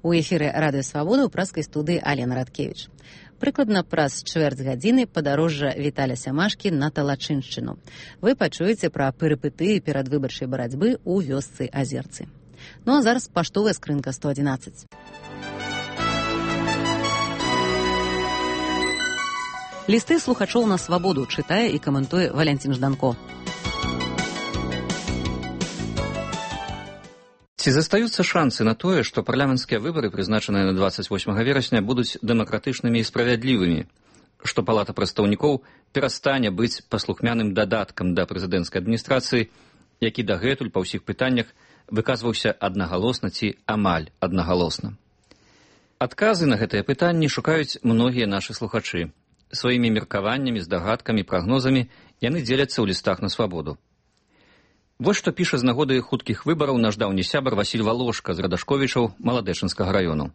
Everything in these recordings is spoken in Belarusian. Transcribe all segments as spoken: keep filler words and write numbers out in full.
У эфіры Радыё Свабода ў праскай студыі Алена Радкевіч. Прыкладна праз чвэрць гадзіны падарожжа Віталя Сямашкі на Талачыншчыну. Вы пачуеце пра перыпетыі перадвыбарчай барацьбы ў вёсцы Азерцы. Ну а зараз паштовая скрынка сто адзінаццаць. Лісты слухачоў на Свабоду чытае і каментуе Валянцін Жданко. Ці застаюцца шансы на тое, што парламенцкія выбары, прызначаныя на дваццаць восьмага верасня, будуць дэмакратычнымі і справядлівымі, што Палата прадстаўнікоў перастане быць паслухмяным дадаткам да прэзідэнцкай адміністрацыі, які дагэтуль па ўсіх пытаннях выказваўся аднагалосна ці амаль аднагалосна. Адказы на гэтыя пытанні шукаюць многія нашы слухачы. Сваімі меркаваннямі, здагадкамі, прагнозамі яны дзеляцца ў лістах на Свабоду. Вось што піша з нагоды хуткіх выбараў наш даўні сябар Васіль Валошка з Радашковічаў Маладэчынскага раёну.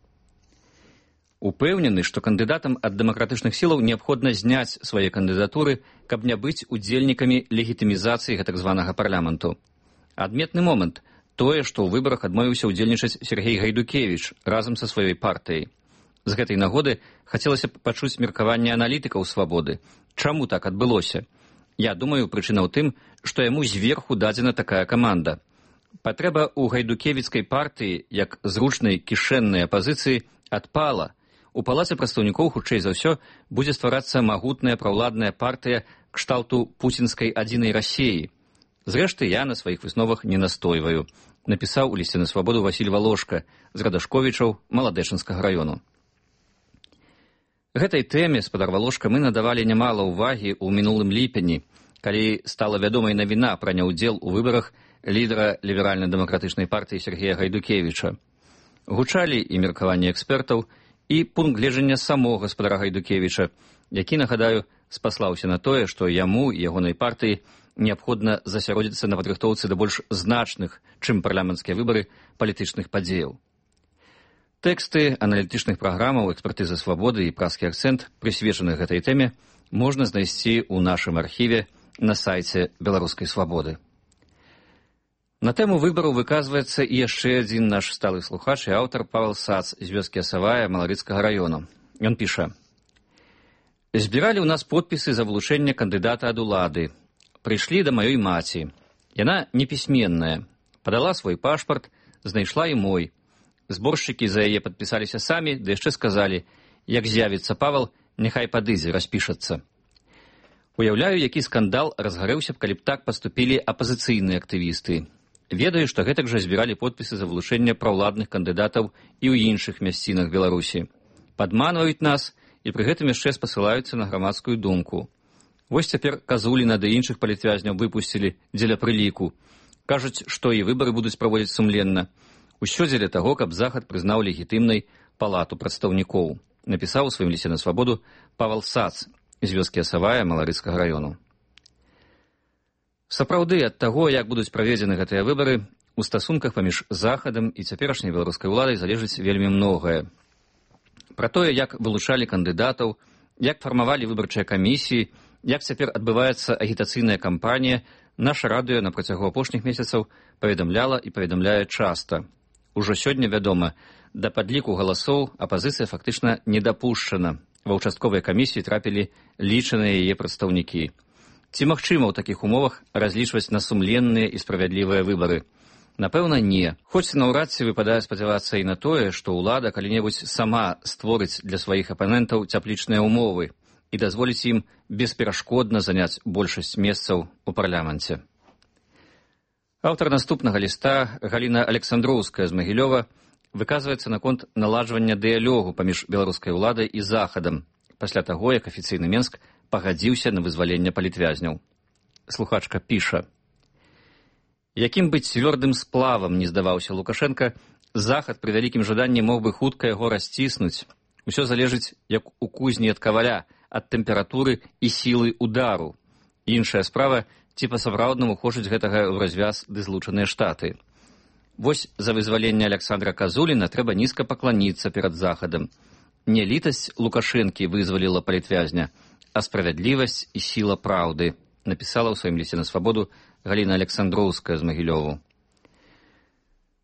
Упэўнены, што кандыдатам ад дэмакратычных сілаў неабходна зняць свае кандыдатуры, каб не быць удзельнікамі легітымізацыі гэтак званага парламенту. Адметны момант тое, што ў выбарах адмовіўся ўдзельнічаць Сергей Гайдукевіч разам са сваёй партыяй. З гэтай нагоды хацелася б пачуць меркаванне аналітыкаў Свабоды. Чаму так адбылося? Я думаю, прычына ў тым, што яму зверху дадзена такая каманда. Патрэба ў гайдукевіцкай партыі, як зручнай кішэннай апазіцыі, адпала. У Палаце прадстаўнікоў, хутчэй за ўсё, будзе стварацца магутная праўладная партыя кшталту пуцінскай адзінай Расіі. Зрэшты, я на сваіх высновах не настойваю, напісаў у лісце на Свабоду Васіль Валошка з Радашковічаў Маладэчынскага раёну. Гэтай тэме, спадар Валошка, мы надавалі нямала ўвагі ў мінулым ліпені, калі стала вядомай навіна пра няўдзел у выбарах лідара ліберальна-дэмакратычнай партыі Сергея Гайдукевіча. Гучалі і меркаванні экспертаў, і пункт гледжання самога спадара Гайдукевіча, які, нагадаю, спаслаўся на тое, што яму і ягонай партыі неабходна засяродзіцца на падрыхтоўцы да больш значных, чым парламенцкія выбары, палітычных падзеяў. Тэксты аналітычных праграмаў, экспертызы Свабоды і праскі акцэнт, прысвечаных гэтай тэме, можна знайсці ў нашым архіве на сайце Беларускай Свабоды. На тэму выбараў выказваецца і яшчэ адзін наш сталы слухач і аўтар Павел Сац з вёскі Асавая Маларыцкага раёну. Ён піша: «Збіралі ў нас подпісы за вылучэнне кандыдата ад улады. Прыйшлі да маёй маці. Яна непісьменная. Падала свой пашпарт, знайшла і мой. Зборшчыкі за яе падпісаліся самі, ды яшчэ сказалі, як з'явіцца Павел, няхай падыдзе, распішацца. Уяўляю, які скандал разгарэўся б, калі б так паступілі апазіцыйныя актывісты. Ведаю, што гэтак жа збіралі подпісы за вылучэнне праўладных кандыдатаў і ў іншых мясцінах Беларусі. Падманваюць нас і пры гэтым яшчэ спасылаюцца на грамадскую думку. Вось цяпер Казуліна ды іншых палітвязняў выпусцілі дзеля прыліку. Кажуць, што і выбары будуць праводзіць сумленна. Усё дзеля таго, каб Захад прызнаў легітымнай Палату прадстаўнікоў, напісаў у сваім лісце на Свабоду Павел Сац з вёскі Асавая Маларыцкага раёну. Сапраўды, ад таго, як будуць праведзены гэтыя выбары, у стасунках паміж Захадам і цяперашняй беларускай уладай залежыць вельмі многае. Пра тое, як вылучалі кандыдатаў, як фармавалі выбарчыя камісіі, як цяпер адбываецца агітацыйная кампанія, наша радыё на працягу апошніх месяцаў паведамляла і паведамляе часта. Ужо сёння вядома, да падліку галасоў апазіцыя фактычна не дапушчана. Ва ўчастковыя камісіі трапілі лічаныя яе прадстаўнікі. Ці магчыма ў такіх умовах разлічваць на сумленныя і справядлівыя выбары? Напэўна, не. Хоць наўрад ці выпадае спадзявацца і на тое, што ўлада калі-небудзь сама створыць для сваіх апанентаў цяплічныя ўмовы і дазволіць ім бесперашкодна заняць большасць месцаў у парламенце. Аўтар наступнага ліста, Галіна Александроўская з Магілёва, выказваецца наконт наладжвання дыялогу паміж беларускай уладай і Захадам, пасля таго, як афіцыйны Менск пагадзіўся на вызваленне палітвязняў. Слухачка піша: «Якім быць цвёрдым сплавам не здаваўся Лукашенка, Захад пры вялікім жаданні мог бы хутка яго расціснуць. Усё залежыць, як у кузні ад каваля, ад тэмпературы і сілы удару. Іншая справа, ці па-сапраўднаму хочуць гэтага ў развяз ды злучаныя штаты. Вось за вызваленне Александра Казуліна трэба нізка пакланіцца перад Захадам. Не літасць Лукашэнкі вызваліла палітвязня, а справядлівасць і сіла праўды», напісала ў сваім лісце на Свабоду Галіна Александроўская з Магілёву.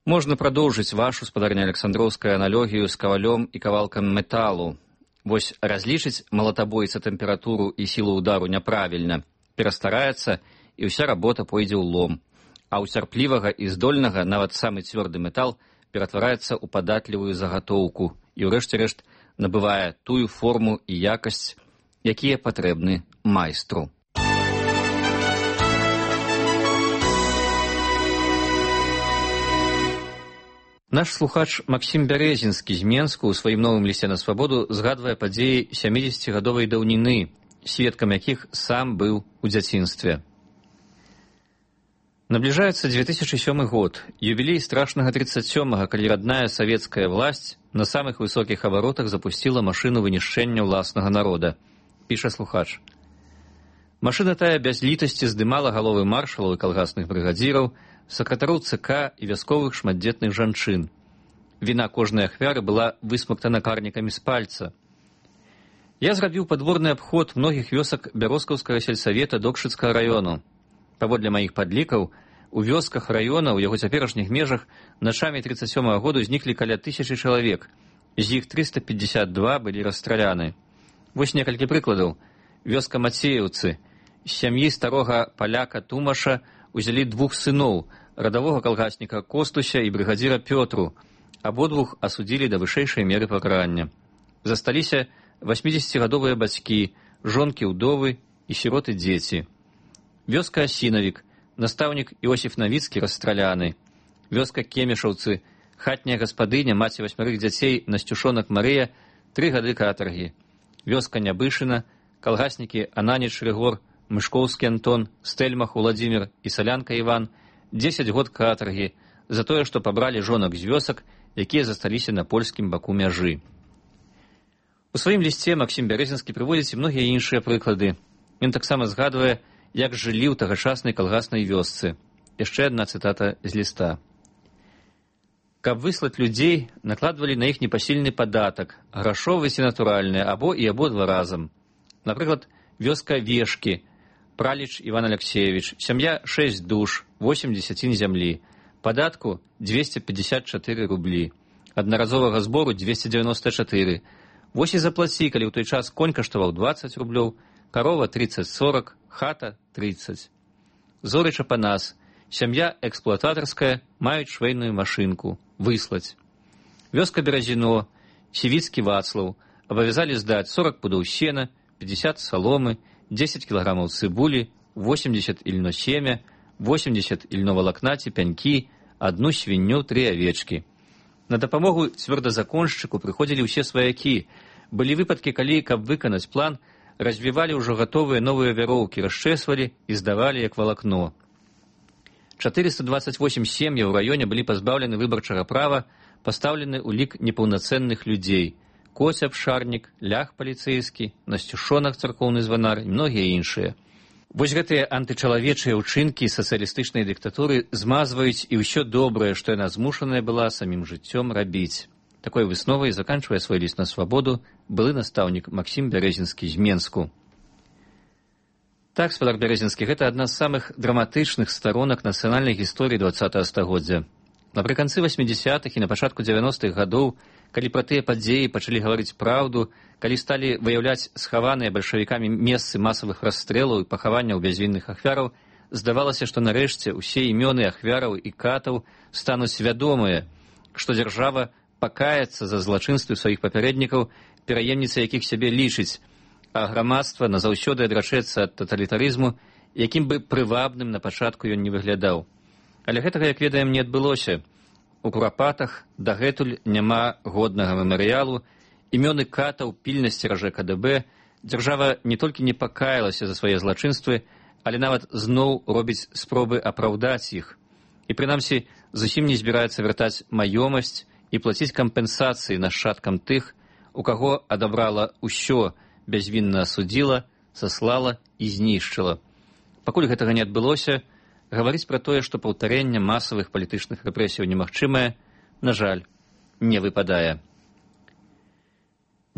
Можна прадоўжыць вашу, спадарня Александроўская, аналогію з кавалём і кавалкам металу. Вось разлічыць малатабойца тэмпературу і сілу удару няправільна, перастараецца, і ўся работа пойдзе ў лом. А ў цярплівага і здольнага нават самы цвёрды метал ператвараецца ў падатлівую загатоўку і, ўрэшце рэшт, набывае тую форму і якасць, якія патрэбны майстру. Наш слухач Максім Бярэзінскі з Менску ў сваім новым лісце на свабоду згадвае падзеі сямідзесяцігадовай даўніны, сведкам якіх сам быў у дзяцінстве. Набліжаецца две тысячы сёмы год, юбілей страшнага тридцать сёмага, калі родная савецкая власць на самых высокіх абаротах запусціла машыну вынішчэння ўласнага народа, піша слухач. Машына тая без літасці здымала галовы маршалаў і калгасных брыгадзіраў, сакратароў ЦК і вясковых шматдзетных жанчын. Віна кожнай ахвяры была высмактана карнікамі з пальца. Я зрабіў падворны абход многіх вёсак Бяроскаўскага сельсавета Докшыцкага раёну. Паводле маіх падлікаў, у вёсках раёна ў яго цяперашніх межах начамі тридцать сёмага году зніклі каля тысячы чалавек, з іх триста пятьдесят два былі расстраляны. Вось некалькі прыкладаў. Вёска Мацееўцы. З сям'і старога паляка Тумаша узялі двух сыноў, радавога калгасніка Костуся і брыгадзіра Пётру. Абодвух асудзілі да вышэйшай меры пакарання. Засталіся васьмідзесяцігадовыя бацькі, жонкі ўдовы і сіроты дзеці. Вёска Асінавік, настаўнік Іосіф Навіцкі расстраляны. Вёска Кемешаўцы, хатняя гаспадыня, маці васьмярых дзяцей Насцюшонак Марыя, тры гады катаргі. Вёска Нябышына, калгаснікі Ананіч Рыгор, Мышкоўскі Антон, Стэльмах Уладзімір і Салянка Іван, дзесяць год катаргі за тое, што пабралі жонак з вёсак, якія засталіся на польскім баку мяжы. У сваім лісце Максім Бярэзінскі прыводзіць і многія іншыя прыклады. Ён таксама згадвае, як жылі ў тагачаснай калгаснай вёсцы. Яшчэ адна цытата з ліста. Каб выслаць людзей, накладвалі на іх непасільны падатак, грашовы ці натуральны, або і абодва разам. Напрыклад, вёска Вешкі, Праліч Іван Алексеевич, сям'я шэсць душ, восемь дзесяцін зямлі, падатку двести пятьдесят четыре рублі, аднаразовага збору двести девяносто четыре. Вось і заплаці, калі ў той час конь каштаваў двадцать рублёў, карова тридцать сорок, хата тридцать. Зорыч Апанас, сям'я эксплуататарская, маюць швейную машынку, выслаць. Вёска Беразіно, Сівіцкі Вацлаў, абавязалі здаць сорок пудоў сена, пятьдесят соломы, десять килограммов цибули, восемьдесят ильно семя, восемьдесят ільновалакна ці пянькі, одну свінню, три овечки. На дапамогу цвёрдазаконшчыку прыходзілі ўсе сваякі. Былі выпадкі, калі, каб выканаць план, развівалі ўжо гатовыя новыя вяроўкі, расчэсвалі і здавалі як валакно. четыреста двадцать восемь сем'яў у раёне былі пазбаўлены выбарчага права, пастаўлены ў лік непаўнацэнных людзей. Коцяб Шарнік, Лях паліцэйскі, Насцюшонак царкоўны званар і многія іншыя. Вось гэтыя антычалавечыя ўчынкі сацыялістычнай дыктатуры змазваюць і ўсё добрае, што яна змушаная была самім жыццём рабіць. Такой высновай заканчвае свой ліст на свабоду былы настаўнік Максім Бярэзінскі з Менску. Так, спадар Бярэзінскі, гэта адна з самых драматычных старонак нацыянальнай гісторыі двадцатага стагоддзя. Напрыканцы васьмідзесятых і на пачатку дзевяностых гадоў, калі пра тыя падзеі пачалі гаварыць праўду, калі сталі выяўляць схаваныя бальшавікамі месцы масавых расстрэлаў і пахаванняў бязвінных ахвяраў, здавалася, што нарэшце ўсе імёны ахвяраў і катаў стануць вядомыя, што дзяржава пакаецца за злачынствы сваіх папярэднікаў, пераемніцы якіх сябе лічыць, а грамадства назаўсёды адрачэцца ад таталітарызму, якім бы прывабным на пачатку ён не выглядаў. Але гэтага, як ведаем, не адбылося. У курапатах дагэтуль няма годнага мемарыялу, імёны катаў пільна сцеражэ ка дэ бэ, дзяржава не толькі не пакаялася за свае злачынствы, але нават зноў робіць спробы апраўдаць іх. І прынамсі зусім не збіраецца вяртаць маёмасць і плаціць кампенсацыі нашчадкам тых, у каго адабрала ўсё, бязвінна асудзіла, саслала і знішчыла. Пакуль гэтага не адбылося, гаварыць пра тое, што паўтарэнне масавых палітычных рэпрэсіяў немагчымае, на жаль, не выпадае.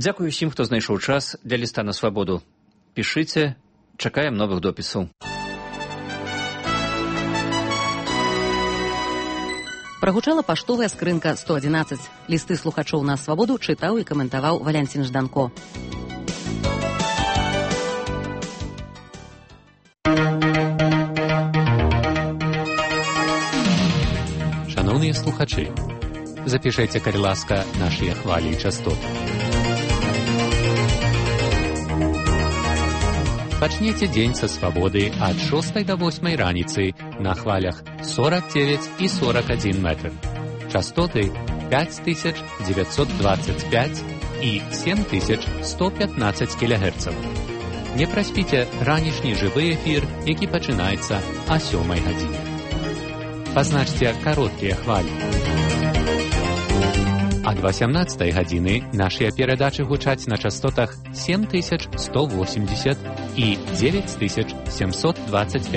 Дзякую ўсім, хто знайшоў час для ліста на свабоду. Пішыце, чакаем новых допісаў. Прагучала паштовая скрынка сто адзінаццаць. Лісты слухачоў на свабоду чытаў і каментаваў Валянцін Жданко. Шановні слухачі, запишите, калі ласка, наші хвалі і частоты. Пачнеце дзень са свабоды ад шостай да восьмай раніцы на хвалях сорок девять і сорок один метр. Частоты пять тысяч девятьсот двадцать пять і семь тысяч сто пятнадцать кілогерцаў. Не праспіце ранішні жывы эфір, які пачынаецца о сёмай гадзіне. Пазначце кароткія хвалі. Ад васямнаццатай гадзіны нашыя перадачы гучаць на частотах семь тысяч сто восемьдесят і девять тысяч семьсот двадцать пять.